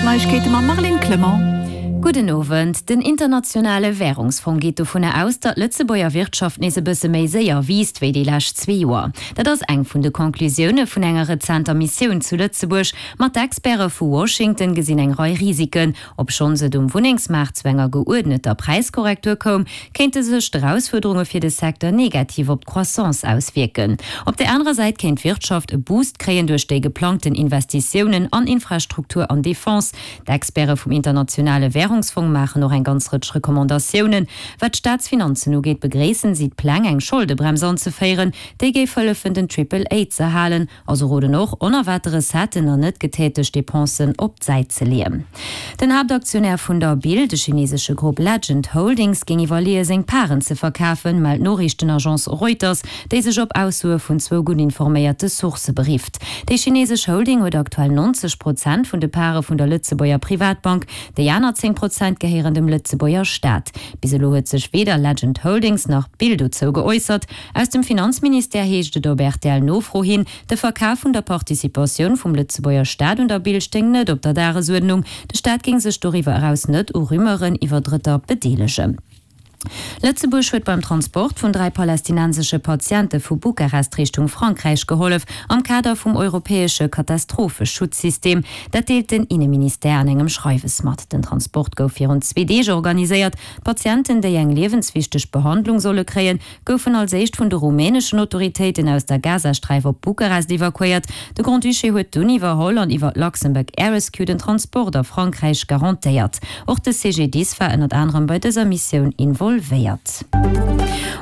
Neiegkeete mam Marlene Clement. Gudden Owend. Den internationale Wärungsfong geet dovunner aus, datt d'Lëtzebuerger Wirtschaft nees e bësse méi séier wiisst wéi déi lescht zwee Joer. Dat ass eng vun de Conclusioune vun enger rezenter Missioun zu Lëtzebuerg. Ma d'Experte vu Washington gesinn eng Rei Risiken. Obschonns et um Wunnengsmaart zu enger geuerdneter Präiskorrektur koum, kéinte sech d'Erausfuerderunge fir de Secteur negativ op d'Croissance auswierken. Op där anerer Säit kéint d'Wirtschaft e Boost kréien duerch déi geplangten Investitiounen an Infrastruktur an Defense. D'Experte vum Internationale Wärungsfong maachen och eng ganz Rëtsch Recommandatiounen. Wat d'Staatsfinanzen ugeet, begréissen si d'Pläng, eng Scholdebrems anzeféieren, déi géif hëllefen, den Triple A z'erhalen. A se roden och, onerwaarte Recetten an net getätegt Depensen op d'Säit ze leeën. Den Haaptaktionär vun der Bill, de chinesesche Grupp Legend Holdings, géing iwwerleeë seng Paren ze verkafen, mellt d'Noriichtenagence Reuters, déi sech op Aussoe vun zwou gutt informéierte Sourcë berifft. Déi chinesesch Holding huet aktuell 90 Prozent vun de Pare vun der Lëtzebuerger Privatbank, déi aner 10 Prozent gehéieren dem Lëtzebuerger Staat. Bis elo huet sech weder Legend Holdings nach d'Bill dozou geäussert. Aus dem Finanzministère heescht et op RTL-Nofro hin, de Verkaf vun der Participatioun vum Lëtzebuerger Staat un der Bill stéing net op der Dagesuerdnung. De Staat géing sech doriwwer eraus net u Rumeuren iwwer Drëtter bedeelegen. Lëtzebuerg huet beim Transport vun 3 palästinensesche Patiente vu Bukarest Richtung Frankräich gehollef, am Kader vum europäesche Katastropheschutzsystem. Dat deelt den Inneministère an engem Schreiwes mat. Den Transport gouf virun zwee Deeg organiséiert. D'Patienten, déi eng liewenswichteg Behandlung solle kréien, goufen als éischt vun de rumäneschen Autoritéiten aus der Gazasträif op Bukarest evakuéiert. De Grand-Duché huet dunn iwwerholl an iwwer d'Luxembourg Air Rescue den Transport a Frankräich garantéiert. Och de CGDIS war ënnert anerem bei dëser Missioun involvéiert.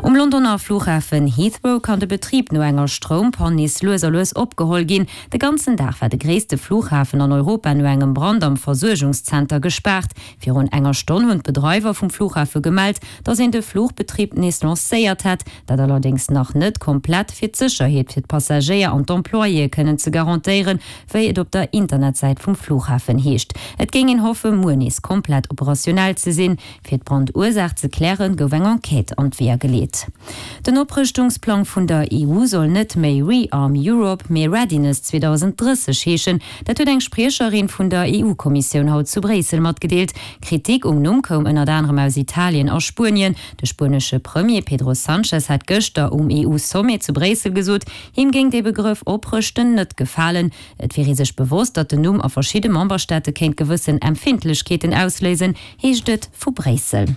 Um Londoner Flughafen Heathrow kann de Betrib no enger Stroumpann nees lues a lues opgeholl ginn. De ganzen Dag war de gréisste Flughafen an Europa no engem Brand am Versuergungszenter gespaart. Virun enger Stonn hunn d'Bedreiwer vum Flughafe gemellt, datt een de Fluchbetrib nees lancéiert hätt, dat allerdéngs nach net komplett, fir d'Sécherheet fir d'Passagéier an d'Employéë kënnen ze garantéieren, wéi et op der Internetsäit vum Flughafen heescht. Et géing een hoffen, muer nees komplett operationell ze sinn. Fir d'Brandursaach ze klären, gouf eng Enquête an d'Weeër geleet. Den Oprëschtungsplang vun der EU soll net méi Rearm Europe, mee Readiness 2030 heeschen. Dat huet eng Spriecherin vun der EU-Kommissioun haut zu Bréissel matgedeelt. Kritik um Numm koum ënnert anerem aus Italien a Spuenien. De spuenesche Premier Pedro Sanchez hat gëschter um EU-Sommet zu Bréissel gesot, him géing dee Begrëff Oprëschten net gefalen. Et wier ee sech bewosst, datt den Numm a verschidde Memberstaate kéint gewëssen Empfindlechkeeten ausléisen, heescht et vu Bréissel.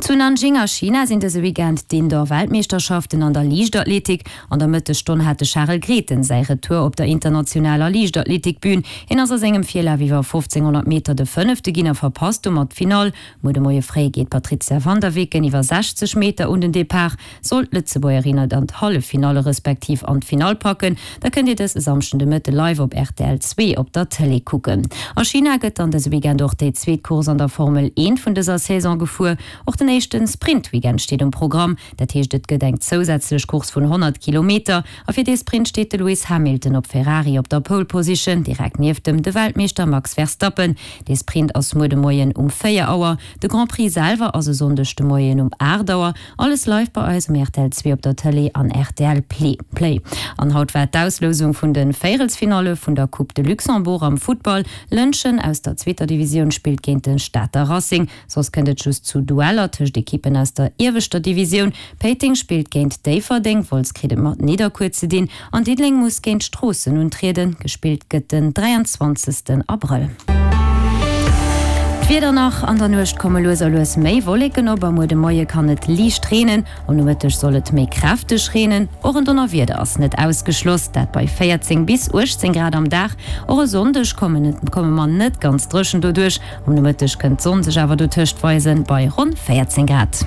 Zu Nanjing a China sinn dëse Weekend d'Indoor-Weltmeeschterschaften an der Liichtathletik. An der Mëttesstonn hat de Charel Grethen säi Retour op der internationaler Liichtathletikbün. Hien ass a sengem Virlaf iwwer 1500 Meter de Fënnefte ginn a verpasst domat d'Finall. Muer de Moie fréi geet d'Patrizia van der Weken iwwer 60 Meter un den Depart. Sollt d'Lëtzebuergerin et an d'Halleffinalle respektiv an d'Finall packen, da kënnt Dir dës e Samschden de Mëtte live op rtl 2 op der Tëlee kucken. A China gëtt dann dëse Weekend och déi zweet Course an der Formel 1 vun dëser Saison gefuer. Och den éischte Sprint-Weekend steet um Programm. Dat heescht et gëtt eng zousätzlech Course vun 100 Kilometer a fir dee Sprint steet de Lewis Hamilton op Ferrari op der Pole Position, direkt nieft em de Weltmeeschter Max Verstappen. Dee Sprint ass muer de Moien um 4 Auer. De Grand Prix selwer ass e Sonndeg de Moien um 8 Auer. Alles live bei eis um rtl 2 op der Tëlee an rtl Play. An haut war d'Auslousung vun de Véierelsfinalle vun der Coupe de Luxembourg am Futtball. Lëntgen aus der zweeter Divisioun spillt géint de Stater Racing. Soss kënnt et just zu Dueller tëscht Ekippen aus der ieweschter Divisioun. Péiteng spillt géint Déifferdeng, Wolz kritt et mat Nidderkuer ze dinn an Diddeleng muss géint Stroossen untrieden. Gespillt gëtt den 23 Abrëll. D'Wieder nach, An der Nuecht komme lues a lues méi Wolleken op a muer de Moie kann et liicht reenen. Am Nomëtteg soll et méi kräfteg reenen, och en Donnerwieder ass net ausgeschloss, dat bei 14 bis 18 Grad am Dag. Och e Sonndeg komme mer net ganz dréchen doduerch, am Nomëtteg kënnt d'Sonn sech awer dotëscht weisen, bei ronn 14 Grad.